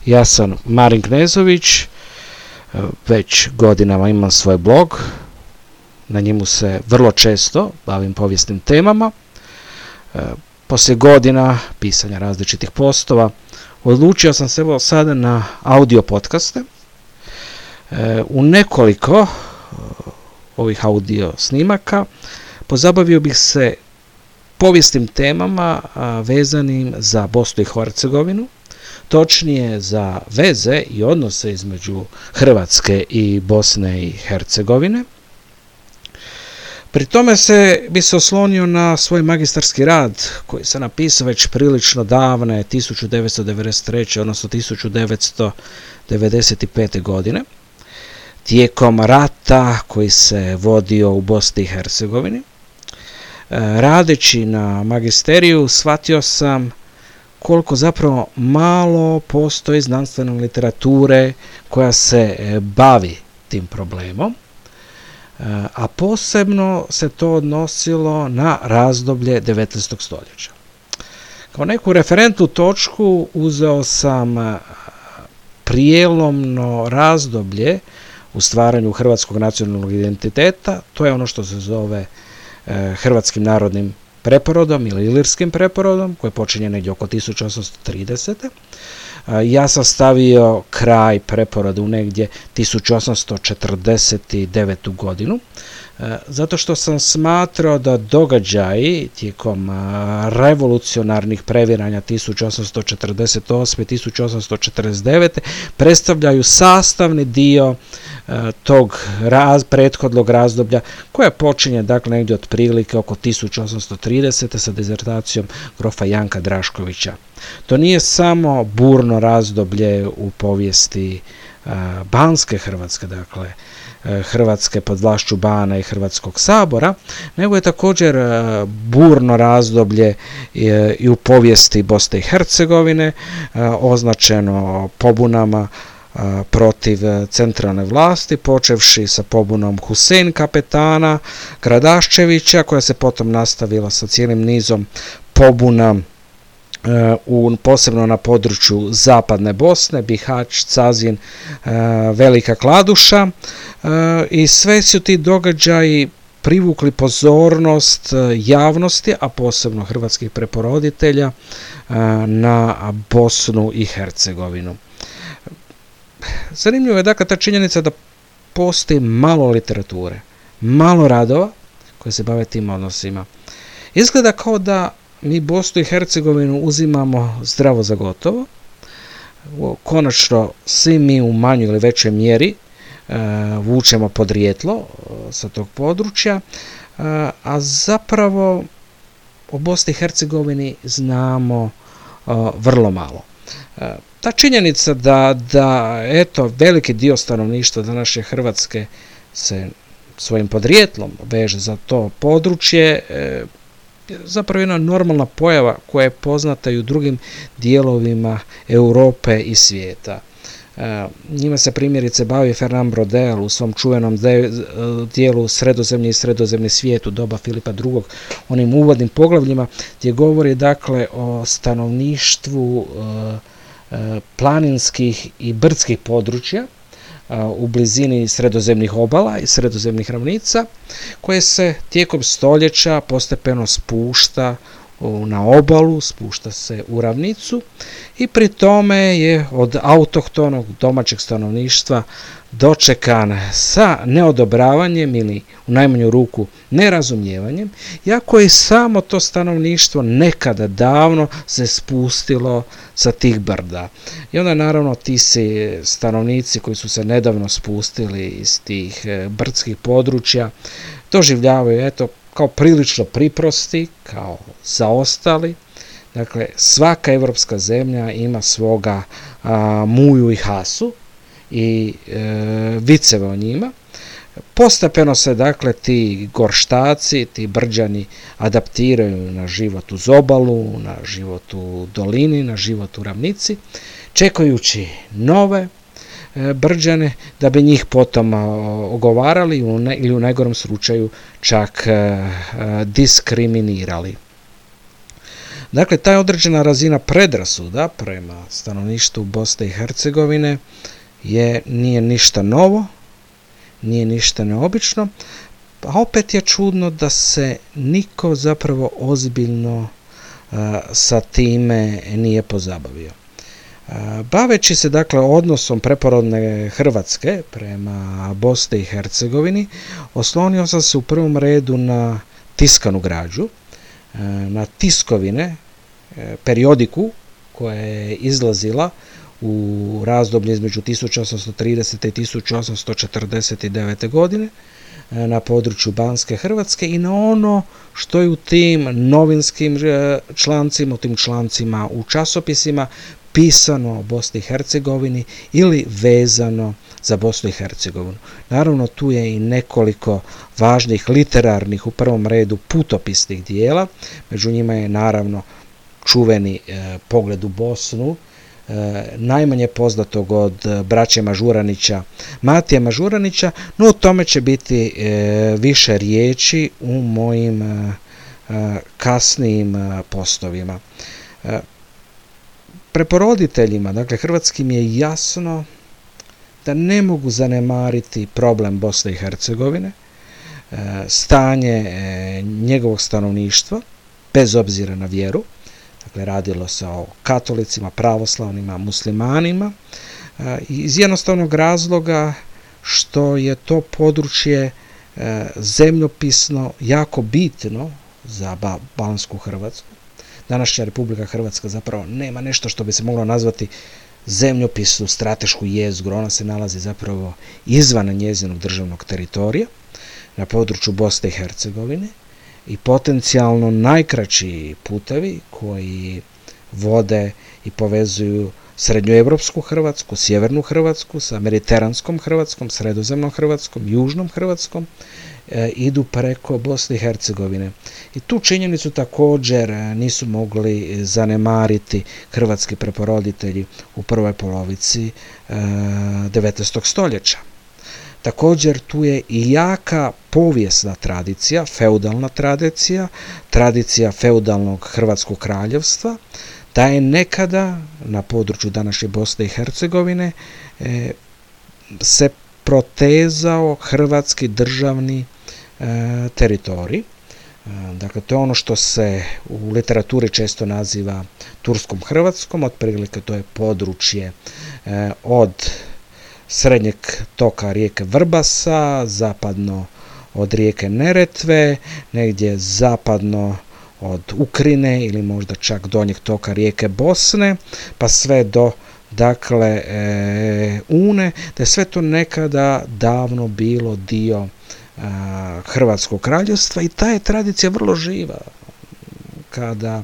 Ja sam Marin Knezović, već godinama imam svoj blog, na njemu se vrlo često bavim povijesnim temama. Poslije godina pisanja različitih postova, odlučio sam se sada na audio podcaste. U nekoliko ovih audio snimaka pozabavio bih se povijesnim temama vezanim za Bosnu i Hercegovinu, točnije za veze i odnose između Hrvatske i Bosne i Hercegovine. Pri tome bi se oslonio na svoj magistarski rad koji sam napisao već prilično davne 1993. odnosno 1995. godine. Tijekom rata koji se vodio u Bosni i Hercegovini. Radeći na magisteriju shvatio sam koliko zapravo malo postoji znanstvene literature koja se bavi tim problemom, a posebno se to odnosilo na razdoblje 19. stoljeća. Kao neku referentnu točku uzeo sam prijelomno razdoblje u stvaranju hrvatskog nacionalnog identiteta. To je ono što se zove hrvatskim narodnim preporodom ili ilirskim preporodom, koji počinje negdje oko 1830. Ja sam stavio kraj preporodu negdje 1849. godinu, zato što sam smatrao da događaji tijekom revolucionarnih previranja 1848. 1849. predstavljaju sastavni dio tog prethodnog razdoblja koje počinje dakle negdje otprilike oko 1830. sa dizertacijom grofa Janka Draškovića. To nije samo burno razdoblje u povijesti Banske Hrvatske, dakle Hrvatske pod vlašću Bana i Hrvatskog sabora, nego je također burno razdoblje i u povijesti Bosne i Hercegovine, označeno pobunama protiv centralne vlasti, počevši sa pobunom Husein kapetana Gradaščevića, koja se potom nastavila sa cijelim nizom pobuna posebno na području zapadne Bosne, Bihać, Cazin, Velika Kladuša, i sve su ti događaji privukli pozornost javnosti, a posebno hrvatskih preporoditelja, na Bosnu i Hercegovinu. Zanimljivo je dakle ta činjenica da postoji malo literature, malo radova koji se bave tim odnosima. Izgleda kao da mi Bosnu i Hercegovinu uzimamo zdravo za gotovo. Konačno, svi mi u manjoj ili većoj mjeri vučemo podrijetlo sa tog područja, a zapravo o Bosni i Hercegovini znamo vrlo malo. Ta činjenica da eto, veliki dio stanovništva današnje Hrvatske se svojim podrijetlom veže za to područje, zapravo jedna normalna pojava koja je poznata i u drugim dijelovima Europe i svijeta. Njima se primjerice bavi Fernand Braudel u svom čuvenom dijelu Sredozemlje i sredozemni svijet u doba Filipa II. Onim uvodnim poglavljima gdje govori dakle o stanovništvu planinskih i brdskih područja u blizini sredozemnih obala i sredozemnih ravnica, koje se tijekom stoljeća postepeno spušta na obalu, spušta se u ravnicu i pri tome je od autohtonog domaćeg stanovništva dočekan sa neodobravanjem ili u najmanju ruku nerazumijevanjem, iako je samo to stanovništvo nekada davno se spustilo sa tih brda. I onda naravno ti stanovnici koji su se nedavno spustili iz tih brdskih područja doživljavaju kao prilično priprosti, kao zaostali. Dakle, svaka evropska zemlja ima svoga Muju i Hasu i viceve o njima. Postepeno se dakle ti gorštaci, ti brđani adaptiraju na život uz obalu, na život u dolini, na život u ravnici, čekajući nove brđane da bi njih potom ogovarali ili u najgorem slučaju čak diskriminirali. Dakle, ta određena razina predrasuda prema stanovništvu Bosne i Hercegovine nije ništa novo, nije ništa neobično, a opet je čudno da se niko zapravo ozbiljno sa time nije pozabavio. Baveći se dakle odnosom preporodne Hrvatske prema Bosni i Hercegovini, oslonio sam se u prvom redu na tiskanu građu, na tiskovine, periodiku koja je izlazila u razdoblju između 1830. i 1849. godine na području Banske Hrvatske i na ono što je u tim novinskim člancima, u tim člancima u časopisima pisano o Bosni i Hercegovini ili vezano za Bosnu i Hercegovinu. Naravno, tu je i nekoliko važnih literarnih, u prvom redu putopisnih dijela, među njima je naravno čuveni Pogled u Bosnu, najmanje poznatog od braće Mažuranića, Matije Mažuranića, no o tome će biti više riječi u mojim kasnijim postovima. Preporoditeljima, dakle hrvatskim, je jasno da ne mogu zanemariti problem Bosne i Hercegovine, stanje njegovog stanovništva, bez obzira na vjeru. Dakle, radilo se o katolicima, pravoslavnima, muslimanima, iz jednostavnog razloga što je to područje zemljopisno jako bitno za Bansku Hrvatsku. Današnja Republika Hrvatska zapravo nema nešto što bi se moglo nazvati zemljopisnu stratešku jezgru. Ona se nalazi zapravo izvan njezinog državnog teritorija, na području Bosne i Hercegovine, i potencijalno najkraći putevi koji vode i povezuju srednjoevropsku Hrvatsku, sjevernu Hrvatsku sa mediteranskom Hrvatskom, sredozemnom Hrvatskom, južnom Hrvatskom, idu preko Bosne i Hercegovine. I tu činjenicu također nisu mogli zanemariti hrvatski preporoditelji u prvoj polovici 19. stoljeća. Također tu je i jaka povijesna tradicija, feudalna tradicija, tradicija feudalnog Hrvatskog kraljevstva, da je nekada na području današnje Bosne i Hercegovine se protezao hrvatski državni teritorij. Dakle, to je ono što se u literaturi često naziva Turskom Hrvatskom, otprilike to je područje od srednjeg toka rijeke Vrbasa, zapadno od rijeke Neretve, negdje zapadno od Ukrine ili možda čak donjeg toka rijeke Bosne, pa sve do dakle Une, da je sve to nekada davno bilo dio Hrvatskog kraljevstva i ta je tradicija vrlo živa. Kada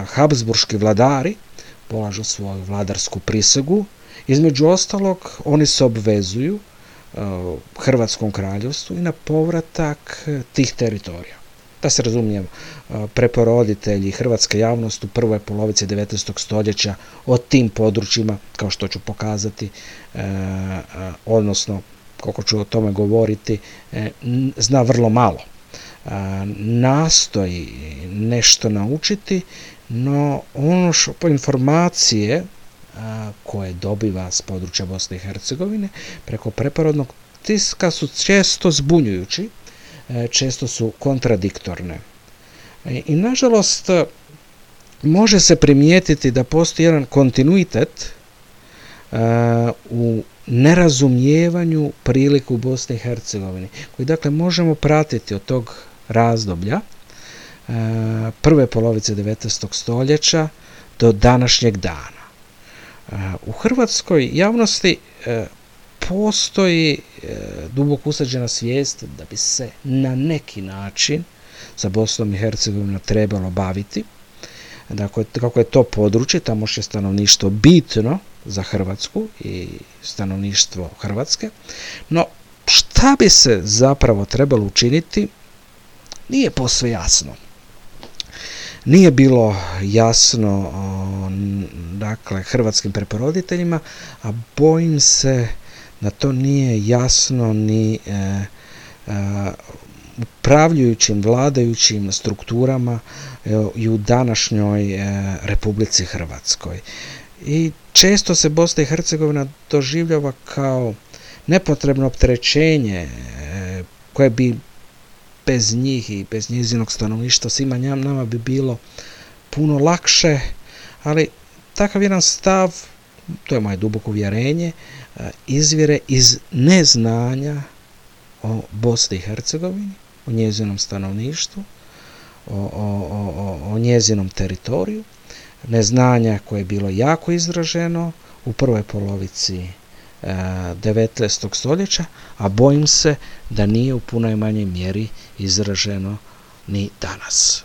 Habsburški vladari polažu svoju vladarsku prisegu, između ostalog oni se obvezuju Hrvatskom kraljevstvu i na povratak tih teritorija. Da se razumijem, preporoditelji hrvatske javnosti u prvoj polovici 19. stoljeća o tim područjima, kao što ću pokazati, odnosno koliko ću o tome govoriti, zna vrlo malo. Nastoji nešto naučiti, no ono što informacije koje dobiva s područja Bosne i Hercegovine preko preporodnog tiska su često zbunjujući, često su kontradiktorne. I nažalost može se primijetiti da postoji jedan kontinuitet u nerazumijevanju prilika u Bosni i Hercegovini, koji dakle možemo pratiti od tog razdoblja prve polovice 19. stoljeća do današnjeg dana. U hrvatskoj javnosti postoji duboko usađena svijest da bi se na neki način sa Bosnom i Hercegovinom trebalo baviti. Dakle, kako je to područje, tamošnje stanovništvo bitno za Hrvatsku i stanovništvo Hrvatske, no šta bi se zapravo trebalo učiniti nije posve jasno. Nije bilo jasno dakle, hrvatskim preporoditeljima, a bojim se da to nije jasno ni upravljajućim, vladajućim strukturama i u današnjoj Republici Hrvatskoj. I često se Bosna i Hercegovina doživljava kao nepotrebno opterećenje koje bi bez njih i bez njezinog stanovništva svima nama bi bilo puno lakše, ali takav jedan stav, to je moje duboko uvjerenje, izvire iz neznanja o Bosni i Hercegovini, o njezinom stanovništvu, o njezinom teritoriju, neznanja koje je bilo jako izraženo u prvoj polovici 19. stoljeća, a bojim se da nije u punoj manjoj mjeri izraženo ni danas.